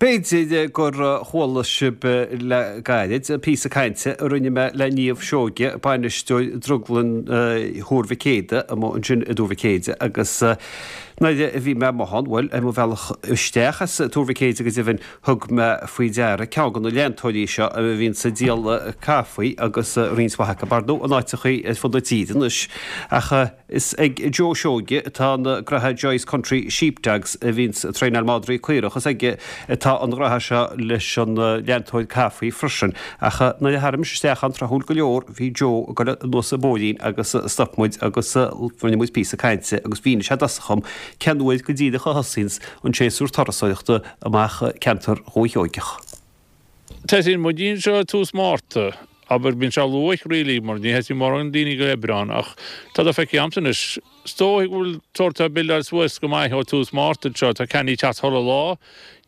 B'fhéidir gur chuala sibh le gairid píosa cainte a rinne mé le Niamh Seoige, bainisteoir Drioglann Thuar Mhic Éadaigh, amuigh ansin i dTuar Mhic Éadaigh agus nuair a bhí mé amuigh ann, bhuel, ar mo bhealach isteach as Tuar Mhic Éadaigh go deimhin, thug mé faoi deara ceann de na leantóirí seo a bhíonns ag díol caife agus roinnt mhaith acu, ar ndóigh, in áiteachaí ar fud na tíre anois. Ach. Is ag Joe Seoige atá an graithe Joyce Country Sheepdogs a bhíonns ag traenáil madraí caorach. Is aige atá an graithe seo leis an leantóir caife freisin. Ach nuair a tharraing mise isteach ann tráthúil go leor bhí Joe ag dul anuas an bóithrín agus stop muid agus rinne muid píosa cainte agus mhínigh sé i dtosach dhom cén uair go díreach a thosaíonns an séasúr turasóireachta amach ceantar Dhúiche Sheoigeach. Tosaíonn muid anseo tús Márta. Abair, bíonn sé luath really mar ní thosaíonn mórán daoine go Aibreán ach tá do feicthe a'msa anois. Is dóigh go bhfuil sórt ag buildáil suas go maith ó tús Márta anseo, tá ceannaí ag teacht chuile lá.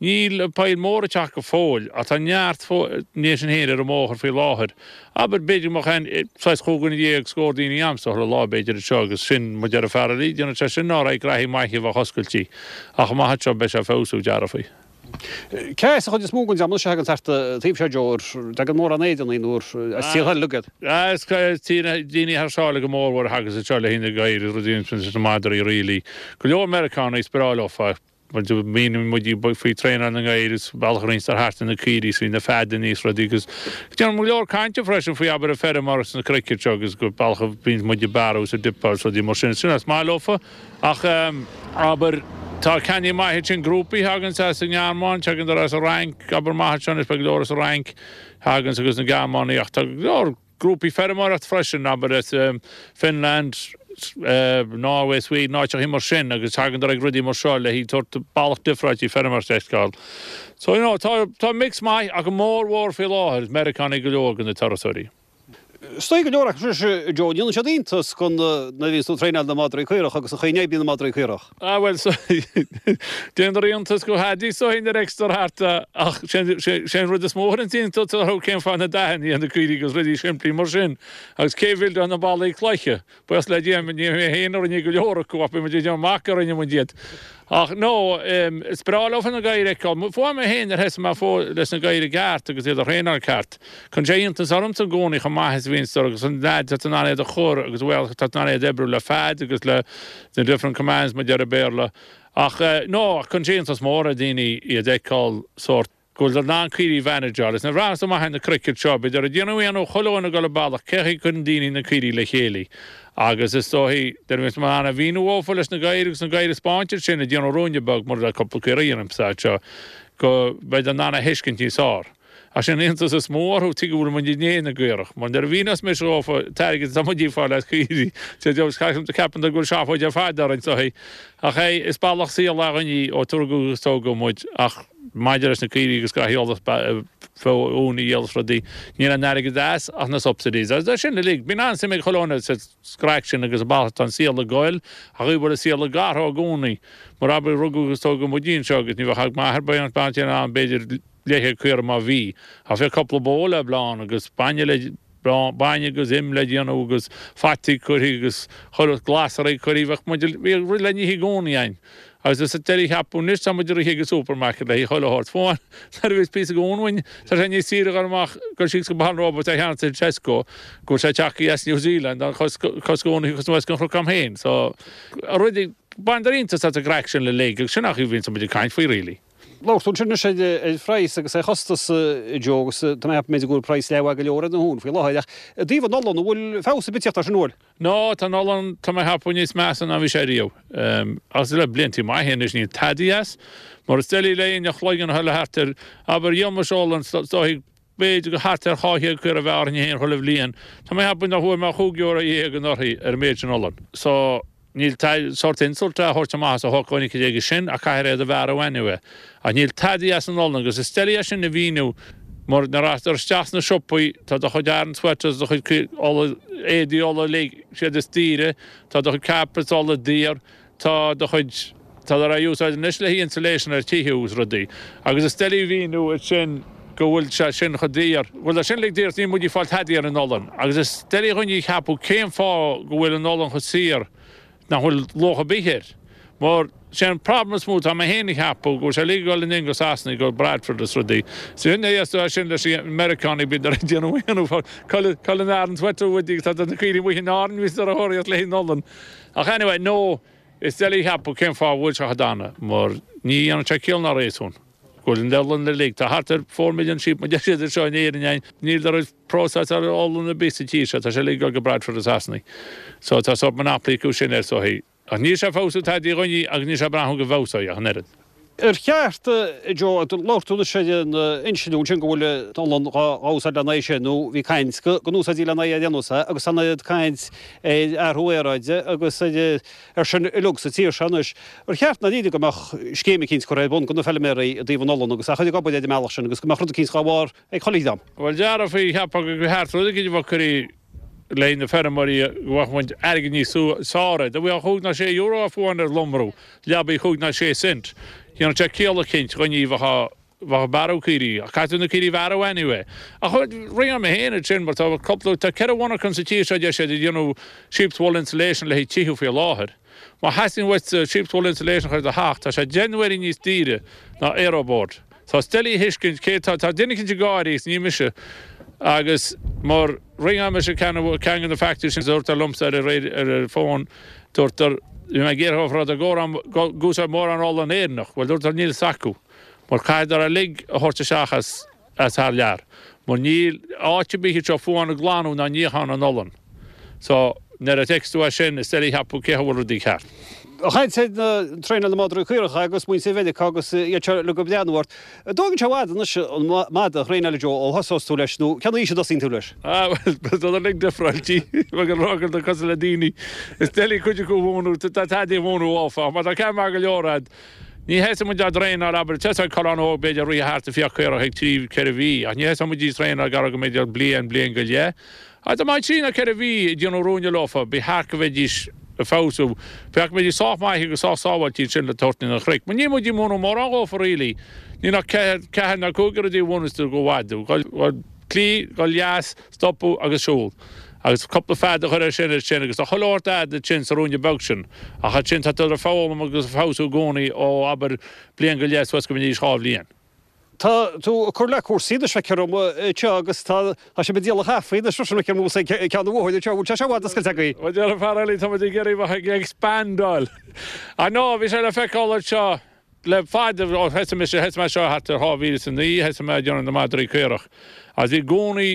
Níl poill móra ag teacht go fóill ach tá neart ní sin féin ar an mbóthar faoi láthair. Abair, b'fhéidir go mbeadh aon saghas 15 scór daoine a'msa chuile lá b'fhéidir anseo agus sin muid ar an fear eile, déanann sé sin ná raibh graithí maithe a bheadh oscailte ach amach anseo beidh sé ag feabhsú, dearfaí. Cé as an chuid is mó den dream anois a thagann thart an taobh seo, Joe, an dtagann mórán Éireannaigh nó as tíortha eile uilig iad? Is daoine thar sáile go mórmhór a thagas anseo le haghaidh na gadhair is rudaí leis na madraí really. Go leor Meiriceánaigh is breá leofa, míníonn muid faoi traenáil na ngadhar is bealach a roinnt thart ar na caoirigh is faoi na feadanna is rudaí agus déanann go leor cainte freisin faoi abair an feirmeoir sna cnoic anseo agus go bealach a bhíonn muid ag bearradh is ag dipeáil is rudaí mar sin. Sin is maith leofa. Ach, abair, tá ceannaí maith ansin, grúpaí a thaganns as an nGearmáin, tagann as an Fhrainc, abair maith anseo anois, beidh go leor as an Fhrainc a thaganns agus na Gearmánaigh ach tá go leor grúpaí feirmeoireacht freisin, abair, as Finland, Norway, Sweden, áiteachaí mar sin agus tagann ag rudaí mar seo le haghaidh sórt bealach difreáilte feirmeoireacht a fheiceáil. So, you know, tá, tá mix maith ach go mórmhór faoi láthair is Meiriceánaigh go leor de na turasóirí. Is dóigh go leor acu anois, Joe, déanann siad iontas den nuair a bhíonns tú ag traenáil na madraí caorach agus an chaoi a n-oibríonn na madraí caorach. Ah bhuel, so déantar iontas go hadaí so nuair a fheictear thart ach sé an rud is mó a chuireann iontas orthu cén fáth na dathanna ar na caoirigh agus rudaí simplí mar sin agus cé a bhuildáil na ballaí cloiche. Buíochas le Dia, ní mé féin a rinne go leor acu ach bhí muid ag déanamh amach gur rinne muid iad. Ach no, is breá leofa na gadhair a fheiceáil. Fuair mé féin ar thosaigh mé fós leis na gadhair i gceart agus iad a thraenáil ceart. Cuireann sé iontas ormsa i gcónaí chomh maith is a bhíonn siad agus an leaid atá in ann iad a chur agus bhuel atá in ann iad a oibriú le fead agus le the different commands mar a deir an Béarla. Ach no, cuireann sé iontas mór ar dhaoine iad a fheiceáil sórt. go bhfuil in ann caoirigh a mhanageáil. Is nuair a bhreathnaíos amach ar na cnoic anseo, b'fhéidir ag déanamh ionadh chuile dhuine ag dul an bealach, cé chaoi a gcuireann daoine na caoirigh le chéile. Agus is dóichí, nuair a bhíonns mé in ann a mhíniú dhófa leis na gadhair agus na gadhair a 'spáint ansin ag déanamh ruainne beag, mar le cúpla caora a dhéanaimse anseo, go mbeidh in ann a thuiscint níos fearr. Ach sé an iontas is mó orthu, tuige go bhfuil muid i ndiaidh na gcaorach. Mar nuair a mhíneos mise dhófa, an t-airgead atá muid ag fáil as caoirigh, ceapann tú go bhfuil seafóid ar fad orainn, is dóichí. Ach é, is bealach saoil againn í ó tugadh agus tógadh muid, ach. Maidir leis na caoirigh agus gach eolas uan a dhíol is rudaí, níl aon airgead as ach na subsidies. Agus é sin uilig, bíonn an-suim ag chuile dhuine sa scraic sin agus an bealach atá an saol ag goil, ach bhfuil an saol ag athrú i gcónaí. Mar abair, rugadh agus tógadh muid anseo agus ní bheadh ach m'athair bean in ann b'fhéidir leathchéad caora má bhí. Ach bheadh cúpla bó le bleán agus bainne le bainne agus im le déanamh agus fataí curtha agus chuile glasraí curtha, bheadh muid, bhíodh rud le n-ithe i gcónaí againn. Agus is doiligh a cheapadh anois tá muid ag rith ag an supermarket le haghaidh chuile shórt. Fiú amháin nuair a bhíos píosa uan uainn, tá sé níos saoire a dhul amach dul síos go Baile an Róba a cheannacht i Tesco go bhfuil sé tagtha as New Zealand an cosc cónaí agus anuas den chnoc agam féin. So, rudaí, baineadar iontas as an gcraic sin uilig agus sin an chaoi a bhíonns muid ag caint faoi really. Labhair tú ansin anois ar phraghas agus ar chostas, a Joe, agus tá mé ag ceapadh b'fhéidir go bhfuil praghas leathmhaith go leor ar na huain faoi láthair, ach i dtaobh an olann, an bhfuil feabhas ar bith ag teacht air sin, an bhfuil? No, tá an olann, tá mé ag ceapadh, níos measa ná bhí sé riamh. Agus le bliantaí maithe anois níl tadaí as. Mar is doiligh le éinne a chloigeann a chur thart air, abair, dhíol mise olann, is dóigh, b'fhéidir gur thart ar 200 caora a bheith orainn féin chuile bhliain. Tá mé ag ceapadh nach bhfuair mé ach €25 anuraidh ar an méid sin olann. So. Níl sórt insult a thabhairt amach as a shócmhainn aige sin ach caithfear iad a bhearradh anyway. Ach níl tadaí as an olann agus is doiligh é sin a mhíniú mar nuair a rachtar isteach sna siopaí tá do chuid Aran sweaters, do chuid olla, éadaí olla uilig, siad is daoire, tá do chuid carpets olla daor, tá do chuid, tá á úsáid anois le haghaidh insulation ar tithe agus rudaí. Agus is doiligh a mhíniú é sin go bhfuil sé sin chomh daor. Bhuel tá sin uilig daor is níl muid ag fáil tadaí ar an olann. Agus is doiligh do dhuine a cheapadh cén fáth go bhfuil an olann chomh saor nach bhfuil luach ar bith air. Mar sé an problem is mó tá mé féin a cheapadh go bhfuil sé uilig ag dul in go Sasana go Bradford is rudaí. Sin é is sin leis na Meiriceánaigh bíonn ag déanamh aon Cul in Aran sweater uaidh agus tá na caoirigh amuigh in Árainn bhí siad ar a thóraíocht le haghaidh an olann. Ach anyway no is doiligh a cheapadh cén fáth a bhfuil sé chomh dona mar ní dhéanann sé ciall ná réasún go bhfuil an olann uilig tá thart ar 4 million sheep mar deir siad anseo in Éirinn againn níl de raibh próiseáil olann ar bith sa tír seo tá sé uilig ag dul go Bradford i Sasana. So tá sórt monopoly acu sin air so Ach níl sé ag feabhsú tada dhúinne agus níl sé ag brath go bhfeabhsóidh ach an oiread. Ar cheart, a Joe, labhair tú anois ar an insliú ansin go bhfuil an olann dhá úsáid lena aghaidh sin, nó bhí caint go n-úsáidtí lena aghaidh ar aon nós é, agus tá an oiread caint ar athrú aeráide agus ar sin uilig sa tír seo anois. Ar cheart ndáiríre go mbeadh scéim eicínt curtha ar bun do na feilméaraí i dtaobh an olann agus a chur ag obair ar an mbealach sin agus go mbeadh rud eicínt dhá bharr ag chuile dhream? Bhuel, déarfaí, cheapfá go gceart rud eicínt a bheadh curtha le na feirmeoirí go bhfaigheadh muid airgead níos fearr. Dá bhfaighfeá chúig ná sé euro amháin ar lomrú, leabaidh chúig ná sé cent, dhéanfadh sé ciall eicínt dhaoine a bheadh ag bearradh caoirigh. Ach caithfidh tú na caoirigh a bhearradh anyway. Ach rinne mé féin iad sin mar tá cúpla, tá 4 mhonarcha sa tír seo deir siad ag déanamh sheep's wool insulation le haghaidh tithe faoi láthair. Má theastaíonn uait sheep's wool insulation a chur i do theach, tá sé 10 n-uaire níos daoire ná aeroboard. Tá is doiligh a thuiscint cé tá tá duine eicínt ag gáirí agus ní mise agus mar ringeáil mise ceann ceann de na factories sin dúrtar liomsa ar ar ar ar fón dúrtar bhí mé ag iarraidh rud a gcomhrá go gúsáid mórán olann Éireannach bhuel dúrtar níl fhios acu mar caithfeadar uilig a thabhairt isteach as as thar lear mar níl áit ar bith anseo fiú amháin ag glanadh ná níochán an olann. So, nuair a fheiceas tú é sin, is doiligh a cheapadh cé acu a bhfuil rudaí ceart. Ag caint ar traenáil na madraí caorach agus muintir Mheiriceá agus iad seo uilig ag breathnú ort. An dtógann sé i bhfad anois an madadh a thraenáil, a Joe, ó thosós tú leis, nó cén aois a dtosaíonn tú leis? Ah, bhuel, tá siad uilig difreáilte, bheadh an rogha agat cosúil le daoine. Is doiligh cuid acu a mhúineadh, tá tada a mhúineadh áfach, má tá ceann maith go leor a'd, ní thosaíonn muid á dtraenáil, abair, tosóidh coileán óg b'fhéidir ag rith thart ag fiach caorach ag trí, 4 mhí, ach ní thosóidh muid á dtraenáil gar go mb'fhéidir bliain, bliain go leith. Ach dá mbeadh trí nó 4 mhí ag déanamh ruainne leofa, ba cheart go mbeidís ag feabhsú. Ba cheart go mbeidís sách maith agus sách sábháilte ansin le tabhairt chun an chnoic. Mar níl muid ag múineadh mórán dhófa really. Níl ach ceathair, ceathair nó cúig de rudaí a mhúineas tú do mhadadh. Dul, dul clí, dul dheas, stopadh agus siúl. Agus cúpla fead a chur air sin, air sin agus tá chuile shórt a'd ansin sa ruainne beag sin. Ach ansin tá tú ag foghlaim agus ag feabhsú i gcónaí ó abair bliain go leith suas go mbeidís 2 bhliain. Tá tú ag cur le cúrsaí anois feictear dom anseo agus tá tá sibh ag díol an chaife anois freisin feictear dom ag ceann an bhóthair anseo. Bhfuil sé seo i bhfad oscailte agaibh? Bhuel deir an fear eile tá muid ag iarraidh bheith ag expandáil. Ah no, bhí sé le feiceáil anseo le fada ó thosaigh mise, thosaigh mé seo thart ar 2009, thosaigh mé ag déanamh na madraí caorach. Agus bhí i gcónaí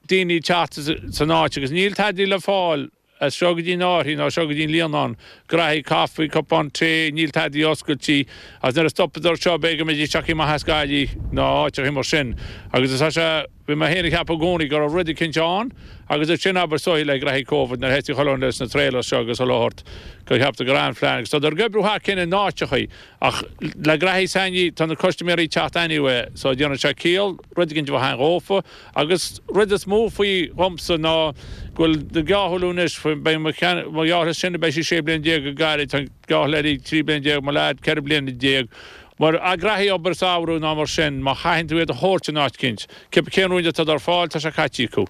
daoine ag teacht san áit agus níl tadaí le fáil as seo go dtí an Fhairche nó as seo go dtí an Líonán, graithí caife, cupán tae, níl tadaí oscailte agus nuair a stopadar seo b'fhéidir go mbeidís tagtha amach as Gaillimh nó áiteacha mar sin agus is é seo bhí mé féin ag ceapadh i gcónaí go raibh rud eicínt ann agus ansin abair is dóichí le graithí Covid nuair a thosaigh chuile dhuine leis na trailers seo agus chuile shórt gur cheapadar go raibh an phlean agus tádar ag oibriú thar cionn in áiteachaí Ach le graithí s'againne, tá na custaiméirí ag teacht anyway, so déanann sé ciall rud éigin a bheith ann dhófa. Agus rud is mó faoi dhomsa ná go bhfuil na geábhail anois, beidh mo gheábh is sine, beidh sí 16 bliain go gairid, tá an geábh eile 13 bliain, mo leaid 14 bliana. Mar a graithí obair samhradh ná mar sin, má chaitheann tú iad a thabhairt in áit eicínt, cibé cén ruainne atá ar fáil, tá sé caite acu.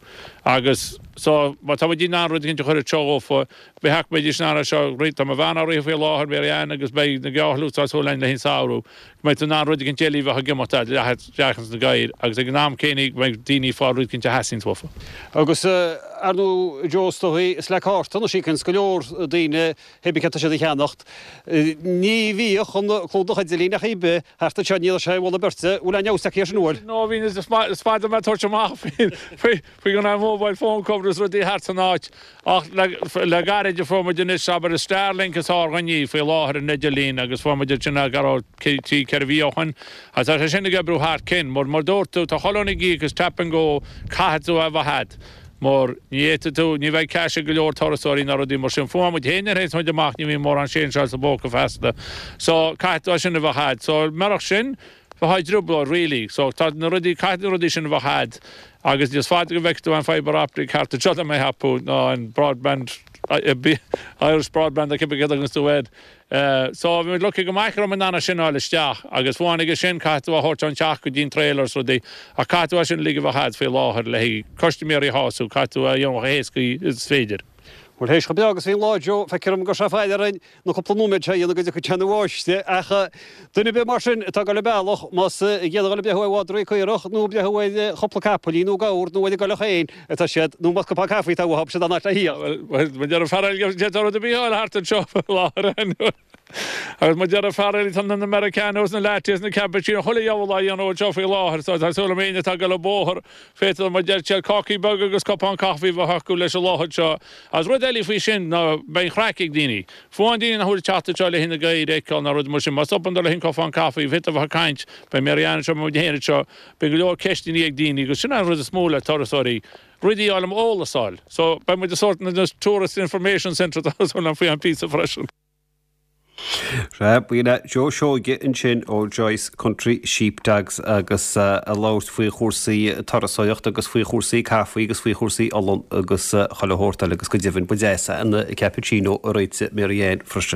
Agus so, má tá muid in ann rud éigin a chur anseo dhófa, Ba cheart go mbeidís in ann é seo a rith. Tá mo bhean á rith faoi láthair, Mary Ann, agus beidh na geábhail tá súil againn le haghaidh an samhradh, go mbeidh tú in ann rud éigin eile a bheith ag imeacht fhad le isteach ins na gadhair agus ag an am céanna go mbeidh daoine ag fáil rud éigin a theastaíonns uafa. Agus ar ndóigh Joe is dóigh is le cárta anois a íocanns go leor daoine pé bith céard tá siad a cheannacht. Ní bhíodh an clúdach idirlín ach ar bith thart anseo ní raibh sé i bhmullach beirte. Bhfuil aon fheabhas tagtha air sin an bhfuil? No bhí is fada mé ag tabhairt amach faoi faoi go raibh mobile phone cover is rudaí thart san áit ach le gairid a fuair muid anois abair Starlink is ár gcoinní faoi láthair an idirlíon agus fuair muid ansin go raibh trí 4 mhí ó shoin agus tá sé sin ag oibriú thar cionn mar mar dúirt tú tá chuile dhuine ag íoc is tap and go caithfidh tú a bheith a'd mar ní fhéadfaidh tú ní bheidh cash ag go leor turasóirí ná rudaí mar sin fuair muid féin ar théis muid amach ní bhíonn mórán séinseáil sa bpóca feasta so caithfidh tú é sin a bheith a'd so murach sin Bheifeá i dtrioblóid really. So tá na rudaí, caithfidh na rudaí sin a bheith a'd agus is fada go bhfeicfidh tú an fibre optic thart anseo tá mé a cheapadh ná an broadband, Irish broadband nó cibé céard a thuganns tú air. So bhí muid lucky go maith go raibh muid in ann é sin a fháil isteach agus fiú amháin aige sin caithfidh tú a thabhairt ón teach go dtí an trailer is rudaí ach caithfidh tú é sin uilig a bheith a'd faoi láthair le haghaidh custaiméirí a shású, caithfidh tú é a dhéanamh chomh héasca is féidir. Bhuel, théis chomh breá agus bhí an lá, Joe, feictear dom go raibh sé faill orainn na cúpla nóiméad seo a dhéanamh go dtiocfaidh sé ina bháisteach. Ach duine ar bith mar sin atá ag dul an bealach, más ag iarraidh dul ag breathnú ar mhadraí caorach nó ag breathnú ar chúpla capaillín nó gabhar nó ar an gcoileach féin atá siad, nó más cupán caife atá uathu, siad an áit le thíocht. Bhuel, mar a deir an fear eile, d'fhéadfá rud ar bith a fháil thart anseo faoi láthair. Agus mar a deir an fear eile, tá na Americanos, na lattes, na cappuccino, chuile dheabhal á dhéanamh anseo faoi láthair. So tá súil agam éinne atá ag dul an bóthar, Féadfaidh, mar a deir siad, cácaí beaga agus cupán caife a bheith acu leis an lá anseo. Agus rud eile faoi sin ná beidh an chraic ag daoine. Fiú amháin daoine nach bhfuil ag teacht anseo le haghaidh na gadhair a fheiceáil ná rud mar sin, má stopann dul le haghaidh cupán caife, féadfaidh a bheith ag caint, beidh Mary Ann anseo, beidh muid féin anseo, beidh go leor ceisteanna ag daoine agus sin an rud is mó le turasóirí, rudaí a fháil, eolas a fháil. So beidh muid i sórt na Tourist Information Centre tá súil agam faoi am píosa freisin. Sea, b'in é Joe Seoige ansin ó Joyce Country Sheepdogs agus ag labhairt faoi chúrsaí turasóireachta agus faoi chúrsaí caife agus faoi chúrsaí olann agus chuile shórt eile agus go deimhin ba deas an cappuccino a réitigh Mary Ann freisin.